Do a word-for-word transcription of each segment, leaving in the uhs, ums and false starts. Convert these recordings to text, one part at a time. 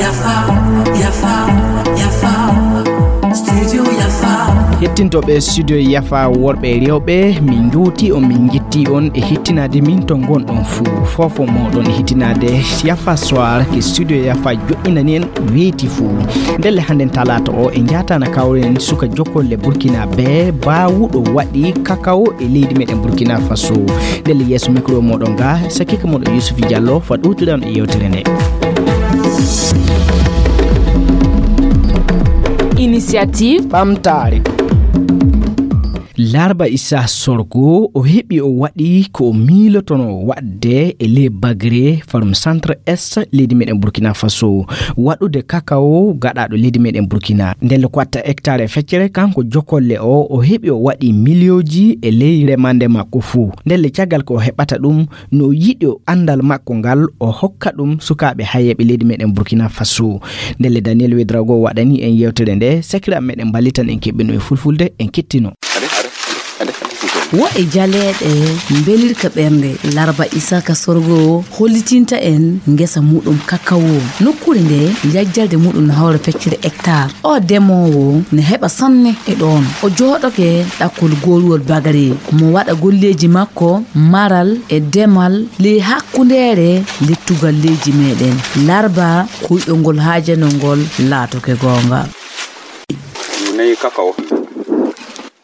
Yafa, yafa, yafa. Studio Yafa. Hettintooɓe Studio Yafa, worɓe e rewɓe, min njuuti on, min njetti on e hettinaade min to ngonɗon fuu. Foofo mooɗon e hettinaade Yafa Soir ke Studio Yafa joɗɗinani en weeti fuu. Ndelle hannden talaata o e njaatana kawren suka jokolle Burkina be baawuɗo waɗi kakao e leydi meɗen Burkina Faso. Ndelle yeeso micro mooɗon ga, sakiike mooɗon Yusuf Diallo, fa ɗowtiɗan e yewtere nde. Initiative ɓamtaare. Larba Issa Sorgo, o heɓi o waɗi ko o miilotono waɗde e le Bagre, Farum Centre Est, leydi meɗen Burkina Faso, waɗude kakao gaɗaɗo leydi meɗen Burkina. Ndelle ko watta hectare e feccere, kanko jokolle o, o heɓi o waɗi miliyooji e ley remande makko fuu. Ndelle caggal ko o heɓata ɗum, no yiɗi o anndal makko ngal, o hokka ɗum sukaaɓe hayeeɓe leydi meɗen Burkina Faso. Ndelle Daniel Wedrago waɗani en yewtere nde, sakiraaɓe meɗen mballitan en keɓɓino e fulfulde, en kettino. Wo e jaleeɗe mbelirka ɓernde, Larba Isaka Sorgo hollitinta en ngesa muɗum kakao. Nokkuure nde yajjalde muɗum no hawra feccere hectare. O demoowo ne heɓa sanne e ɗoon. O jooɗoke ɗakkol gooruwol bagare. Mo waɗa golleeji makko, maral e demal, ley hakkundeere lettugal leydi meɗen. Larba, kuyɗol ngol haajanol ngol laatoke goonga. Nayi kakao.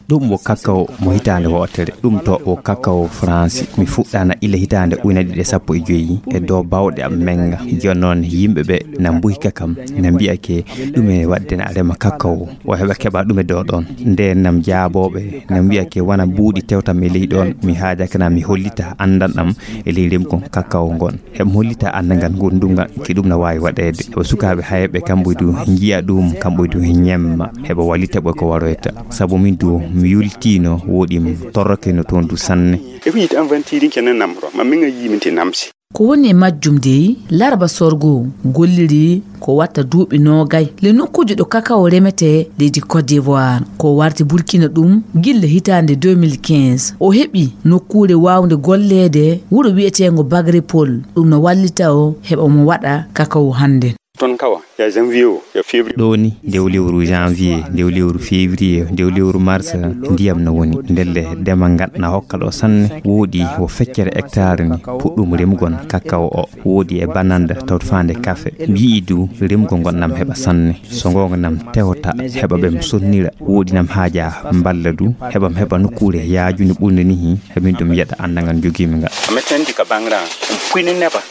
Ɗum wo kakao mo hitaande wootere. Ɗum to wo kakao Faransi. Mi fuɗɗaana ila hitaande ujunere ɗiɗi e sappo e joy e dow baawɗe am menga. Jooni noon yimɓe ɓe na mbuhika kam, na mbiya ke ɗume waɗde na rema kakao. O heɓa keɓa ɗume dow ɗoon. Ndeen nam jaabooɓe na mbiya ke wona buuɗi tewtam e ley ɗoon. Mi haajaka na mi hollita anndan am e ley remkon kakao ngon. Heɓa hollita anndangal ngonɗungal ke ɗum na waawi waɗeede. Heɓa sukaaɓe hayɓe kamɓe du njiya ɗum, kamɓe du ñemma. Heɓa wallita ɓe ko waroyta. Sabu min du mi yultiino woɗi mi torrokeno toon du sanne. E ko yiɗi an wantiiɗi kene namro, ma min a yii min te namsi. Ko woni e majjum dey, Larba Sorgo golliri ko watta duuɓi noogay le nokkuuji ɗo kakao remetee leydi Côte d'Ivoire. Ko warti Burkina ɗum gilla hitaande deux mille quinze. O heɓi nokkuure waawnde golleede wuro wiyeteengo Bagrepol. Ɗum no wallita o heɓa mo waɗa kakao hannde. Ton kawa, ya janvier o, ya février. Ɗo ni, ndew lewru janvier, ndew lewru février, ndew lewru mars, ndiyam no woni. Ndelle dema ngat na hokka ɗo sanne. Woodi wo feccere hectare ni, puɗɗum remugon kakao o. Woodi e bananda tawto faande kafe. Mi yi'i du remugol ngon nam heɓa sanne. So ngonga nam tewta heɓa ɓe mi sonnira. Woodi nam haaja mballa du heɓa mi heɓa nokkuure yaajunde ɓurnde nihi. Heɓin ɗum yeɗa anndangal jogiimi ngal. A mettandi ka baŋra, um puyni neba.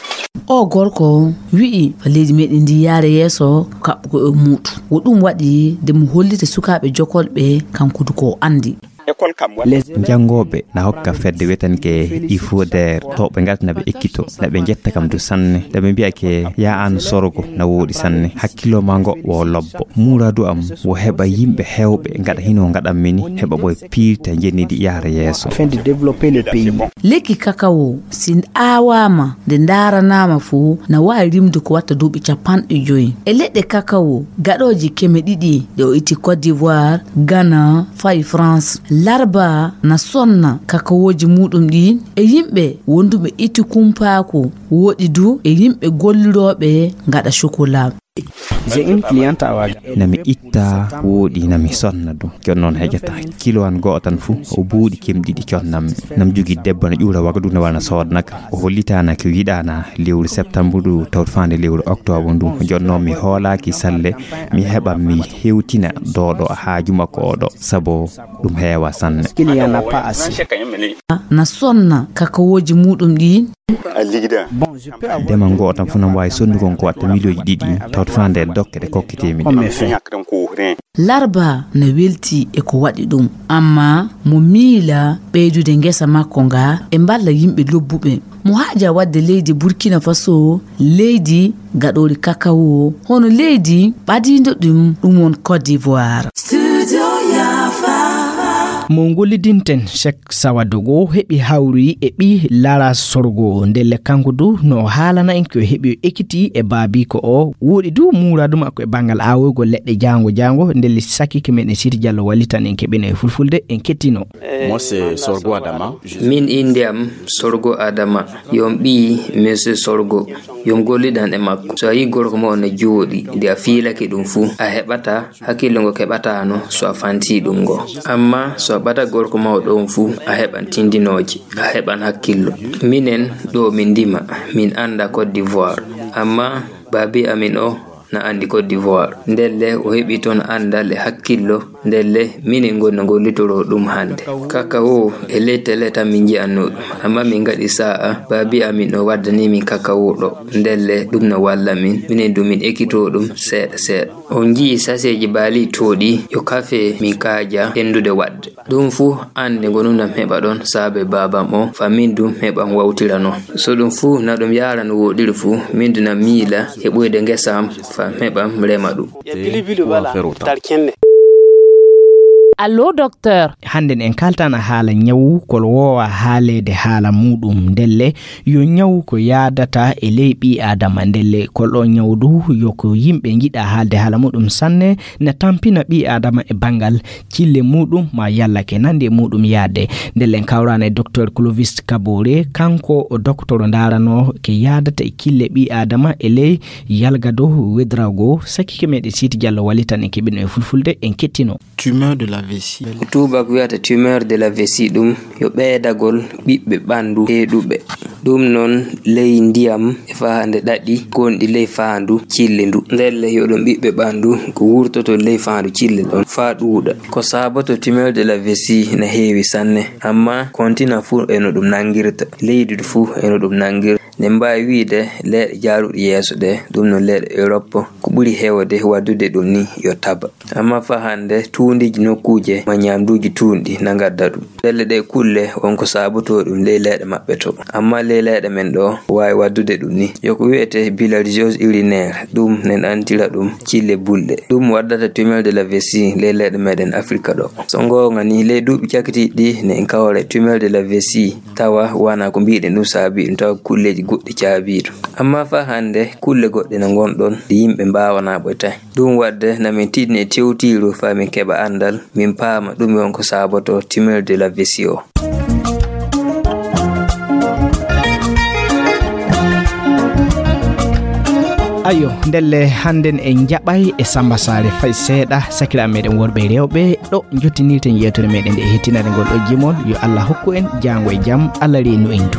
O gorko wi'i fa leydi meɗen ndi yaara yeeso kaɓɓugo e muuɗum. Wo ɗum waɗi de mo hollita sukaaɓe jokolɓe kanko du ko o anndi. École kam walla. Janngooɓe na hokka fedde wetanke Ifoder to ɓe ngarta na ɓe ekkito, na ɓe njetta kam du sanne. Nde ɓe mbiya ke ya an Sorgo na wooɗi sanne. Hakkillo ma ngo wo lobbo. Muuradu am wo heɓa yimɓe heewɓe ngaɗa hino ngaɗan mini, heɓa ɓoy piirta njennidi yahra yeeso. Afin de développer le pays. Lekki kakao si aawaama nde ndaaranaama fuu na waawi rimde ko watta duuɓi capanɗe joy. E leɗɗe kakao gaɗooji keme ɗiɗi ɗe o itti Côte d'Ivoire, Ghana, fayi France. Larba na sonna kakaooji muuɗum ɗi e yimɓe wonduɓe itti kumpaaku, woɗi du e yimɓe gollirooɓe ngaɗa chocolat. J'ai une cliente à Ouagadougou. Na mi itta woɗi na mi sonna ɗum. Jooni noon heƴata kilo an go'o tan fuu o buuɗi kemɗiɗi connammi. Nam jogi debbo na ƴuura Wagadugu na wona soodnaka. O hollitaana ko yiɗaana lewru septembre ndu tawto faande lewru octobre ndu. Jooni noon mi hoolaaki salle mi heɓa mi hewtina dooɗo haaju makko oɗo. Sabu ɗum heewa sanne. Il y en a pas assez. Na sonna kakawooji muuɗum ɗi. Bon, je peux avoir. Dema ngo tan fu nam waawi sonnugol ko watta miliyooji ɗiɗi tawto faande e dokke ɗe kokkitee mi ɗe. Larba na welti e ko waɗi ɗum, amma mo miila ɓeydude ngesa makko nga e mballa yimɓe lobbuɓe. Mo haaja waɗde leydi Burkina Faso leydi gaɗoori kakawo, hono leydi ɓadiindo ɗum, ɗum won Côte d'Ivoire. Studio Yafa. Mo gollidinten, Cheikh Sawadogo, heɓi hawri e ɓii Lara Sorgo. Ndelle kanko du no haalana en ko heɓi o ekiti e baabiiko o. Woɗi du muuraadu makko e banngal aawoygol leɗɗe jaango jaango. Ndelle sakike meɗen Sidi Diallo wallitan en keɓino e fulfulde, en kettino. Moi, c'est Sorgo Adama. Min innde am Sorgo Adama. Yo mi ɓii Monsieur Sorgo. Yo mi gollidan e makko. So a yii gorko ma o no jooɗi, nde a fiilake ɗum fuu, a heɓata hakkillo ngo keɓataano so a fantii ɗum ngo. Amma so a ɓata gorko ma o ɗoon fuu, a heɓan tindinooje, a heɓan hakkillo. Minen ɗo min ndima, min annda Côte d'Ivoire. Amma baabi amin o na anndi Côte d'Ivoire. Ndelle o heɓi toon anndal e hakkillo. Ndelle minen ngoni no ngollitoroo ɗum hannde. Kakao e ley tele tan min nji'annoo ɗum. Amma min ngaɗi saa'a, baabi amin o waddanii min kakao ɗo. Ndelle ɗum no walla min. Minen du min ekitoo ɗum seeɗa seeɗa. On nji'i saseeji baali tooɗi, yo kafe min kaaja ɓenndude waɗde. Ɗum fuu an nde ngonunam heɓa ɗon saabe baabam o, fa min dum heɓam wawtira non. So ɗum fuu na ɗum yaara no wooɗiri fuu, min du na miila heɓoyde ngesa am fa heɓam rema ɗum. Allo, docteur. Hannden en kaltana haala ñawu kol woowa haaleede haala muuɗum. Ndelle yo ñawu ko yaadata e ley ɓii aadama. Ndelle kol ɗo ñawu du yo ko yimɓe njiɗa haalde haala muuɗum sanne, na tampina ɓii aadama e banngal cille muuɗum ma yalla ke nandi e muuɗum yaade. Ndelle en kawrana e docteur Clovis Kabore, kanko o docteur o ndaarano ke yaadata e cille ɓii aadama e ley yalgado wedrago. Sakike meɗen Sidi Diallo wallitan en keɓino e fulfulde, en kettino. Tumeur de la vessie. Ko tuubak wiyata tumeur de la vessie, ɗum yo ɓeydagol ɓiɓɓe ɓanndu heeɗuɓe. Ɗum noon ley ndiyam e fahande ɗaɗi gonɗi ley faandu cille ndu. Ndelle yo ɗum ɓiɓɓe ɓanndu ko wurtoto ley faandu cille ɗon faa ɗuuɗa. Ko saaboto tumeur de la vessie na heewi sanne, amma kontina fuu e no ɗum nanngirta, leydi fuu e no ɗum nanngirta. Ne mbaawi wiyde leyɗe jaaruɗe yeeso ɗe, ɗum no leyɗe Europe, ko ɓuri heewde waddude ɗum ni yo taba. Amma faa hannde tuundiiji nokkuuje ma ñaamduuji tuunɗi na ngadda ɗum. Ndelle ɗee kulle won ko saabotoo ɗum ley leyɗe maɓɓe to. Amma ley leyɗe men ɗo waawi waddude ɗum ni. Yo ko wiyetee bilharziose urinaire, ɗum nen antira ɗum cille bulɗe. Ɗum waddata tumeur de la vessie ley leyɗe meɗen Afrika ɗo. So ngoonga ni, ley duuɓi cakitiiɗi ɗi ne en kawra e tumeur de la vessie, tawa wona ko mbiɗen ɗum saabi ɗum, tawa ko kulleeji goɗɗi caabii ɗum. Amma faa hannde kulle goɗɗe na ngon ɗon ɗe yimɓe mbaawanaa ɓoytaade. Ɗum waɗde na min tiɗni e tewtiiru faa min keɓa anndal, min paama ɗum won ko saaboto tumeur de la vessie o. Ayo, ndelle hannden en njaɓay e Samba Saare fay seeɗa, sakiraaɓe meɗen worɓe e rewɓe, ɗo njottinirten yeewtere meɗen nde e hettinande ngol ɗo jimol. Yo Allah hokku en jaango e jam, Allah reenu en du.